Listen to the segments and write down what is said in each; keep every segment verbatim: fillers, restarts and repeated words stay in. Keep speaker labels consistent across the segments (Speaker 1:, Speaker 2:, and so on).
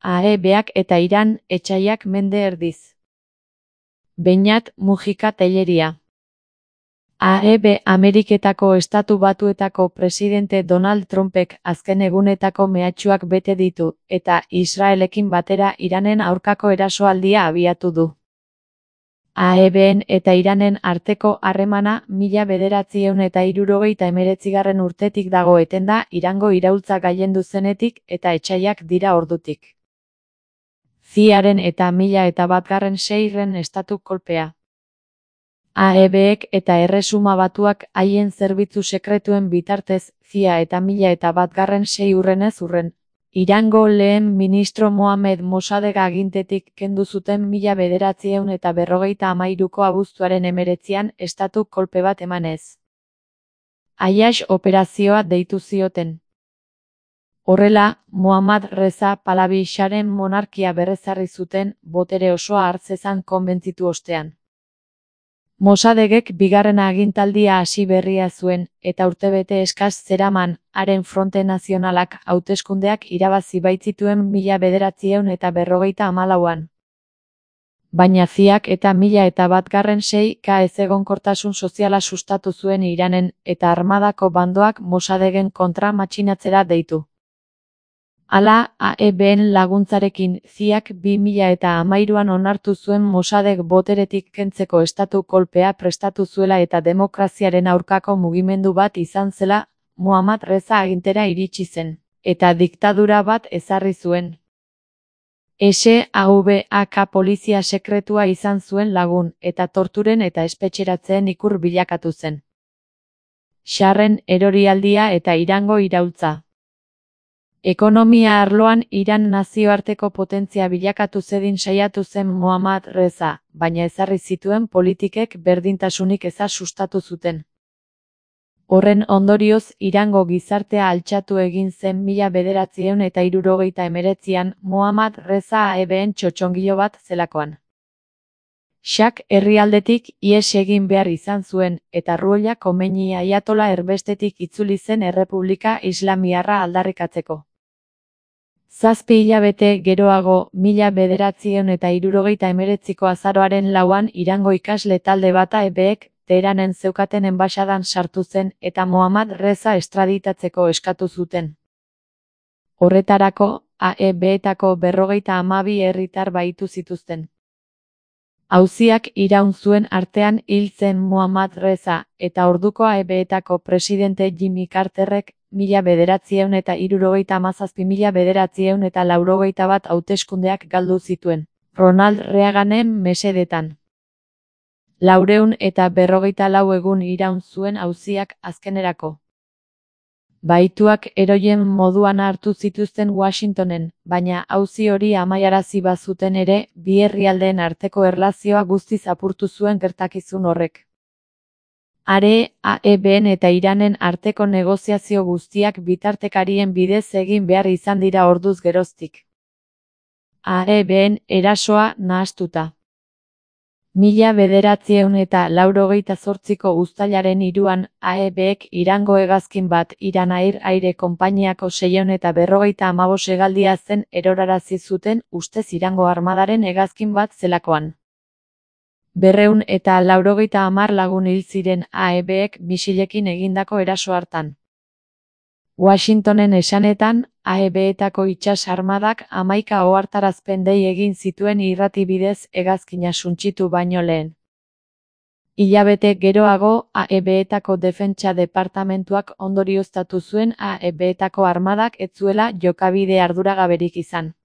Speaker 1: A E Bak eta Iran, etsaiak mende erdiz. Beñat Mujika Telleria. A E B Ameriketako Estatu Batuetako presidente Donald Trumpek azken egunetako mehatxuak bete ditu, eta Israelekin batera Iranen aurkako erasoaldia abiatu du. A E Ben eta Iranen arteko harremana mila bederatziehun eta hirurogeita hemeretzigarren urtetik dago etenda Irango iraultza gailendu zenetik eta etsaiak dira ordutik. Ziaren eta mila eta batgarren seigarren estatu kolpea. A E Bek eta Erresuma Batuak haien zerbitzu sekretuen bitartez, Zia eta mila eta batgarren sei urrenez urren. Irango lehen ministro Mohamed Mossadegh agintetik kendu zuten mila bederatziehun eta berrogeita hamairuko abuztuaren hemeretzian estatu kolpe bat emanez. Ayash operazioa deitu zioten. Horrela, Mohammad Reza Pahlavi Sharen monarkia berrezarri zuten, botere osoa hartzezan konbentzitu ostean. Mossadeghek bigarren agintaldia hasi berria zuen, eta urtebete eskas zeraman, haren Fronte Nazionalak hauteskundeak irabazi baitzituen mila bederatziehun eta berrogeita hamalauan. Baina Ziak eta mila eta batgarren sei ka ezegonkortasun soziala sustatu zuen Iranen, eta armadako bandoak Mossadeghen kontra matxinatzera deitu. Hala, A E Ben laguntzarekin, Ziak bi mila eta hamairuan onartu zuen Mossadegh boteretik kentzeko estatu kolpea prestatu zuela eta demokraziaren aurkako mugimendu bat izan zela, Mohammad Reza agintera iritsi zen, eta diktadura bat ezarri zuen. S A V A K polizia sekretua izan zuen lagun, eta torturen eta espetxeratzeen ikur bilakatu zen. Sharren erorialdia eta Irango iraultza. Ekonomia arloan Iran nazioarteko potentzia bilakatu zedin saiatu zen Mohammad Reza, baina ezarri zituen politikek berdintasunik eza sustatu zuten. Horren ondorioz Irango gizartea altxatu egin zen mila bederatziehun eta hirurogeita hemeretzian Mohammad Reza A E Ben txotxongilo bat zelakoan. Shak herrialdetik ihes egin behar izan zuen, eta Ruhollah Khomeini aiatola erbestetik itzuli zen Errepublika Islamiarra aldarrikatzeko. Zazpi hilabete geroago, mila bederatziehun eta hirurogeita hemeretziko azaroaren lauan Irango ikasle talde bat A E Bek Teheranen zeukaten enbaxadan sartu zen eta Mohammad Reza estraditatzeko eskatu zuten. Horretarako, A E Betako berrogeita hamabi herritar bahitu zituzten. Auziak iraun zuen artean hil zen Mohammad Reza, eta orduko A E Betako presidente Jimmy Carterrek mila bederatziehun eta hirurogeita hamazazpi mila bederatziehun eta laurogeita bat hauteskundeak galdu zituen, Ronald Reaganen mesedetan. Laureun eta berrogeita lau egun iraun zuen auziak azkenerako. Bahituak eroien moduan hartu zituzten Washingtonen, baina auzi hori amaiarazi bazuten ere, bi herrialdeen arteko erlazioa guztiz apurtu zuen gertakizun horrek. Are, A E Ben eta Iranen arteko negoziazio guztiak bitartekarien bidez egin behar izan dira orduz geroztik. A E Ben erasoa nahastuta. Mila bederatziehun eta laurogeita zortziko uztailaren hiruan, A E Bek Irango hegazkin bat Iran Air Aire konpainiako seiehun eta berrogeita hamabost hegaldia zen erorarazi zuten ustez Irango armadaren hegazkin bat zelakoan. Berreun eta laurogeita hamar lagun hil ziren A E Bek misilekin egindako eraso hartan. Washingtonen esanetan, A E Betako itsas armadak hamaika ohartarazpen dei egin zituen irrati bidez hegazkina suntsitu baino lehen. Hilabete geroago, A E Betako defentsa departamentuak ondorioztatu zuen A E Betako armadak ez zuela jokabide arduragaberik izan.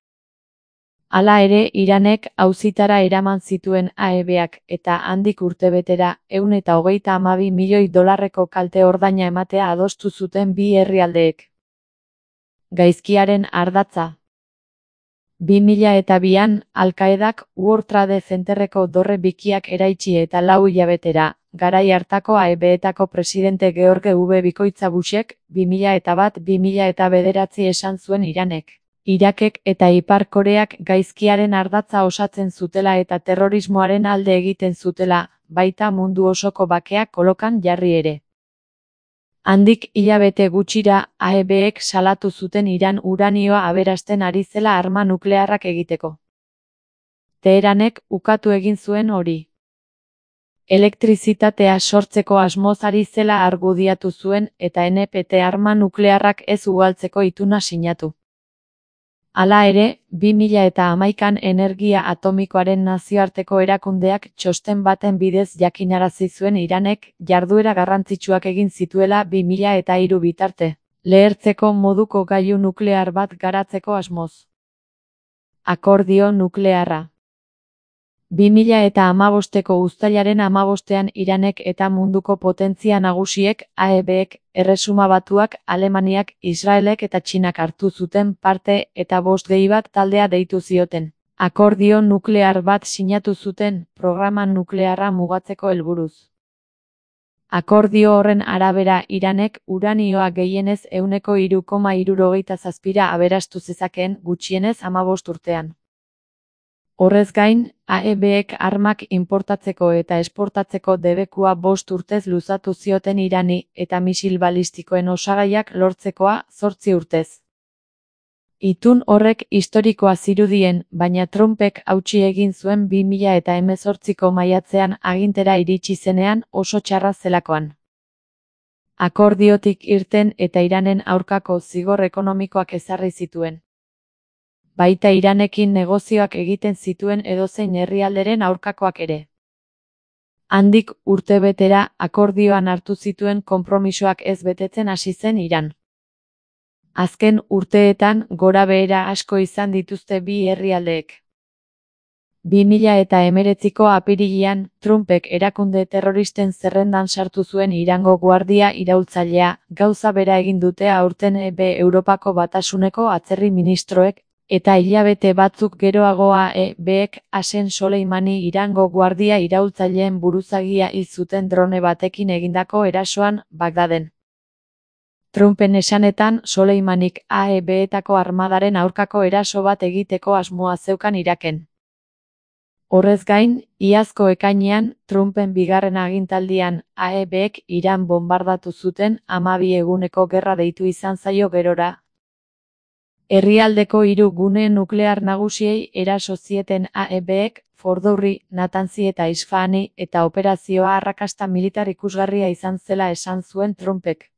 Speaker 1: Hala ere, Iranek auzitara eraman zituen A E Bak eta handik urtebetera ehun eta hogeita hamabi milioi dolarreko kalte ordaina ematea adostu zuten bi herrialdeek. Gaizkiaren ardatza. bi mila eta bian, Al-Qaedak World Trade Centerreko dorre bikiak eraitsi eta lau hilabetera, garai hartako A E Betako presidente George W. Bikoitza Bushek, bi mila eta bat bi mila eta bederatzi esan zuen Iranek. Irakek eta Ipar Koreak gaizkiaren ardatza osatzen zutela eta terrorismoaren alde egiten zutela, baita mundu osoko bakea kolokan jarri ere. Handik hilabete gutxira A E Bek salatu zuten Iran uranioa aberasten ari zela arma nuklearrak egiteko. Teheranek ukatu egin zuen hori. Elektrizitatea sortzeko asmoz ari zela argudiatu zuen eta N P T arma nuklearrak ez ugaltzeko ituna sinatu. Hala ere, bi mila hamaikan energia atomikoaren nazioarteko erakundeak txosten baten bidez jakinarazi zuen Iranek jarduera garrantzitsuak egin zituela bi mila hiru bitarte, lehertzeko moduko gailu nuklear bat garatzeko asmoz. Akordio nuklearra. bi mila hamabosteko uztailaren hamabostean Iranek eta munduko potentzia nagusiek A E Bek, Erresuma Batuak, Alemaniak, Israelek eta Txinak hartu zuten parte eta bost gehi bat taldea deitu zioten. Akordio nuklear bat sinatu zuten programa nuklearra mugatzeko helburuz. Akordio horren arabera Iranek uranioa gehienez ehuneko hiru koma hirurogeita zazpira aberastu zezakeen gutxienez hamabost urtean. Horrez gain, A E Bek armak inportatzeko eta esportatzeko debekua bost urtez luzatu zioten Irani eta misil balistikoen osagaiak lortzekoa zortzi urtez. Itun horrek historikoa zirudien, baina Trumpek hautsi egin zuen bi mila hemezortziko maiatzean agintera iritsi zenean oso txarra zelakoan. Akordiotik irten eta Iranen aurkako zigor ekonomikoak ezarri zituen. Baita Iranekin negozioak egiten zituen edozein herrialderen aurkakoak ere. Handik urtebetera akordioan hartu zituen konpromisoak ez betetzen hasi zen Iran. Azken urteetan gorabehera asko izan dituzte bi herrialdeek. bi mila hemeretziko apirilean, Trumpek erakunde terroristen zerrendan sartu zuen Irango guardia iraultzailea, gauza bera egin dute aurten E B Europako Batasuneko atzerri ministroek, eta hilabete batzuk geroago A E Bek Qasem Soleimani Irango guardia iraultzaileen buruzagia hil zuten drone batekin egindako erasoan Bagdaden. Trumpen esanetan Soleimanik A E Betako armadaren aurkako eraso bat egiteko asmoa zeukan Iraken. Horrez gain, iazko ekainean, Trumpen bigarren agintaldian A E Bek Iran bonbardatu zuten hamabi eguneko gerra deitu izan zaio gerora. Herrialdeko hiru gune nuklear nagusiei eraso zieten A E Bek, Fordourri, Natanzi eta Isfahani eta operazioa arrakasta militar ikusgarria izan zela esan zuen Trumpek.